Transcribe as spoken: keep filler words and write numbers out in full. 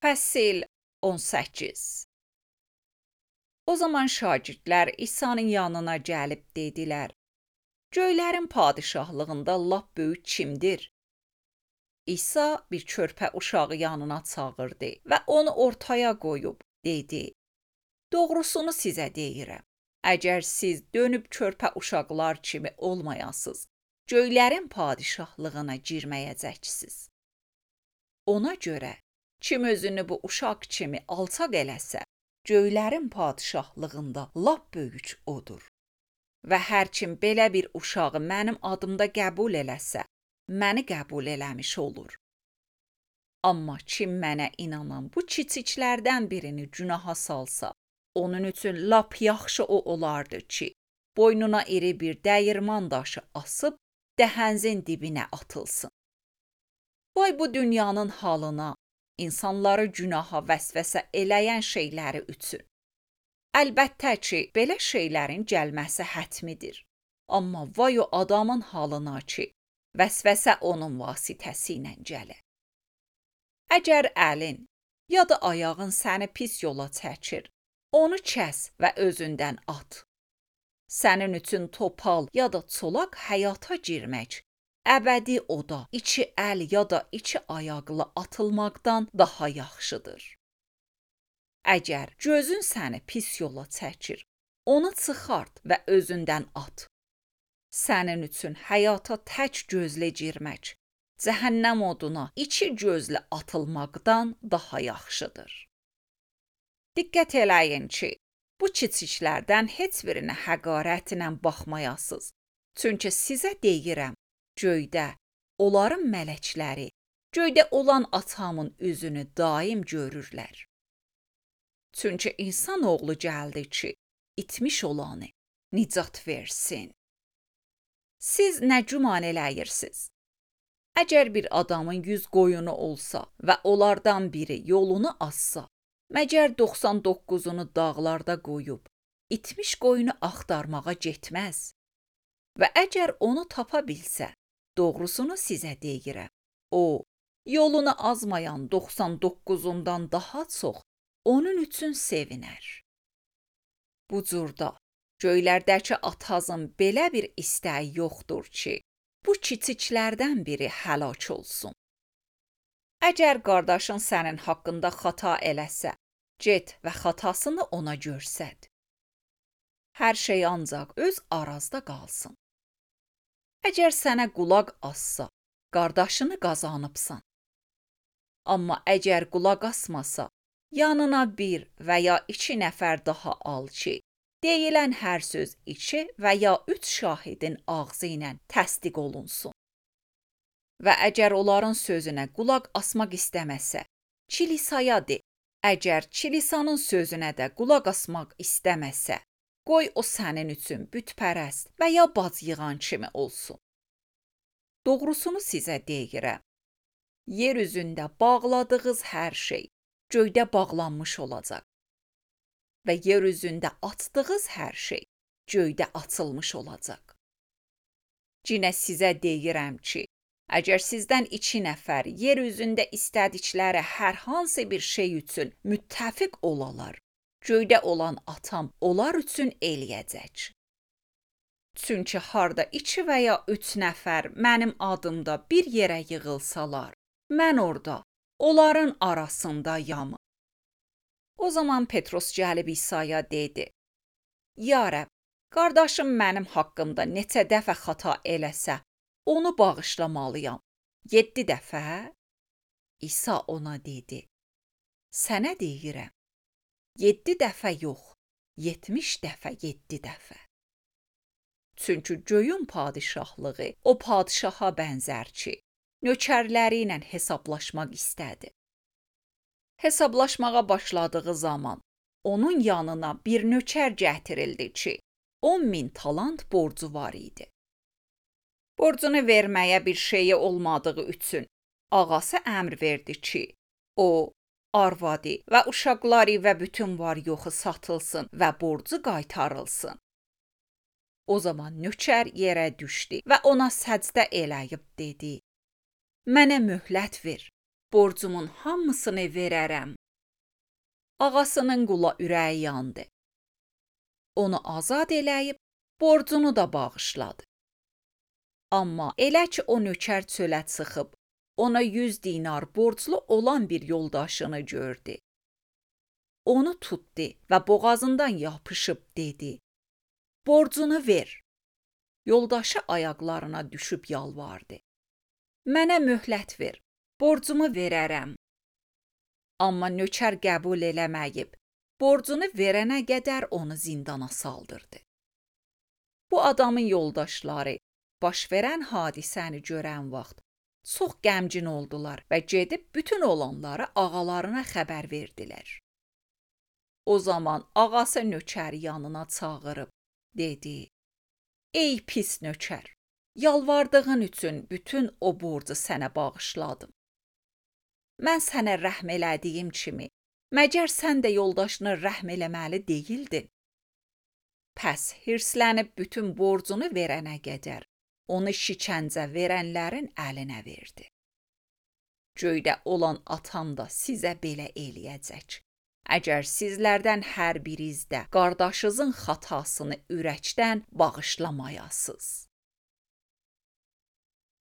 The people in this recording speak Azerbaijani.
Fəsil on səkkiz. O zaman şagirdlər İsa'nın yanına gəlib dedilər: "Göylərin padişahlığında lap böyük kimdir?" İsa bir körpə uşağı yanına çağırdı və onu ortaya qoyub dedi: "Doğrusunu sizə deyirəm, əgər siz dönüb körpə uşaqlar kimi olmayasınız, göylərin padişahlığına girməyəcəksiniz. Ona görə kim özünü bu uşaq kimi alçaq eləsə, göylərin padişahlığında lap böyük odur. Və hər kim belə bir uşağı mənim adımda qəbul eləsə, məni qəbul eləmiş olur. Amma kim mənə inanan bu kiçiklərdən birini günaha salsa, onun üçün lap yaxşı o olardı ki, boynuna iri bir dəyirman daşı asıb dəhənzin dibinə atılsın. Vay bu dünyanın halına, insanları günaha vəsvəsə eləyən şeyləri üçün. Əlbəttə ki, belə şeylərin gəlməsi hətmidir. Amma vay o adamın halına ki, vəsvəsə onun vasitəsi ilə gələ. Əgər əlin ya da ayağın səni pis yola çəkir, onu kəs və özündən at. Sənin üçün topal ya da çolaq həyata girmək, əbədi oda iki əl ya da iki ayaqlı atılmaqdan daha yaxşıdır. Əgər gözün səni pis yola çəkir, onu çıxart və özündən at. Sənin üçün həyata tək gözlə girmək, cəhənnəm oduna iki gözlə atılmaqdan daha yaxşıdır. Diqqət eləyin ki, bu kiçiklərdən heç birinə həqarətlə baxmayasınız. Çünki sizə deyirəm, göydə onların mələkləri, göydə olan atamın üzünü daim görürlər. Çünki insan oğlu gəldi ki, itmiş olanı nicat versin. Siz nə güman eləyirsiniz? Əgər bir adamın yüz qoyunu olsa və onlardan biri yolunu azsa, məgər doxsan doqquzunu dağlarda qoyub, itmiş qoyunu axtarmağa getməz. Və əgər onu tapa bilsə, doğrusunu sizə deyirəm, o, yolunu azmayan doxsan doqquzundan daha çox onun üçün sevinər. Bu cürdə, göylərdəki atanızın belə bir istəyi yoxdur ki, bu kiçiklərdən biri həlak olsun. Əgər qardaşın sənin haqqında xata eləsə, get və xatasını ona göstər. Hər şey ancaq öz arazda qalsın. Əgər sənə qulaq assa, qardaşını qazanıbsan. Amma əgər qulaq asmasa, yanına bir və ya iki nəfər daha al ki, deyilən hər söz iki və ya üç şahidin ağzı ilə təsdiq olunsun. Və əgər onların sözünə qulaq asmaq istəməsə, kilisaya de. Əgər kilisanın sözünə də qulaq asmaq istəməsə, qoy o sənin üçün bütpərəst və ya bac yığan kimi olsun. Doğrusunu sizə deyirəm, yer üzündə bağladığınız hər şey göydə bağlanmış olacaq və yer üzündə açdığınız hər şey göydə açılmış olacaq. Cinə sizə deyirəm ki, əgər sizdən iki nəfər yer üzündə istədikləri hər hansı bir şey üçün müttəfiq olalar, göydə olan atam onlar üçün eləyəcək. Çünki harda iki və ya üç nəfər mənim adımda bir yerə yığılsalar, mən orada onların arasındayam. O zaman Petros gəlib İsa'ya dedi: "Ya Rəbb, qardaşım mənim haqqımda neçə dəfə xata eləsə, onu bağışlamalıyam. Yeddi dəfə?" İsa ona dedi: "Sənə deyirəm, yeddi dəfə yox, yetmiş dəfə yeddi dəfə." Çünki göyün padişahlığı o padişaha bənzər ki, nökərləri ilə hesablaşmaq istədi. Hesablaşmağa başladığı zaman onun yanına bir nökər gətirildi ki, on min talant borcu var idi. Borcunu verməyə bir şeyi olmadığı üçün ağası əmr verdi ki, o, arvadı və uşaqları və bütün var-yoxu satılsın və borcu qaytarılsın. O zaman nökər yerə düşdü və ona səcdə eləyib dedi: "Mənə möhlət ver, borcumun hamısını verərəm. Ağasının qula ürəyi yandı. Onu azad eləyib, borcunu da bağışladı. Amma elə ki o nökər çölə çıxıb, ona yüz dinar borclu olan bir yoldaşını gördü. Onu tutdu və boğazından yapışıb dedi: "Borcunu ver." Yoldaşı ayaqlarına düşüb yalvardı: "Mənə möhlət ver, borcumu verərəm." Amma nökər qəbul eləməyib, borcunu verənə qədər onu zindana saldırdı. Bu adamın yoldaşları baş verən hadisəni görən vaxt çox qəmgin oldular və gedib bütün olanları ağalarına xəbər verdilər. O zaman ağası nökəri yanına çağırıb dedi: "Ey pis nökər, yalvardığın üçün bütün o borcu sənə bağışladım. Mən sənə rəhm elədiyim kimi, məgər sən də yoldaşına rəhm eləməli deyildin?" Pəs hirslənib bütün borcunu verənə qədər onu şikəncə verənlərin əlinə verdi. Göydə olan atam da sizə belə eləyəcək. Əgər sizlərdən hər biriniz də qardaşınızın xatasını ürəkdən bağışlamayasınız.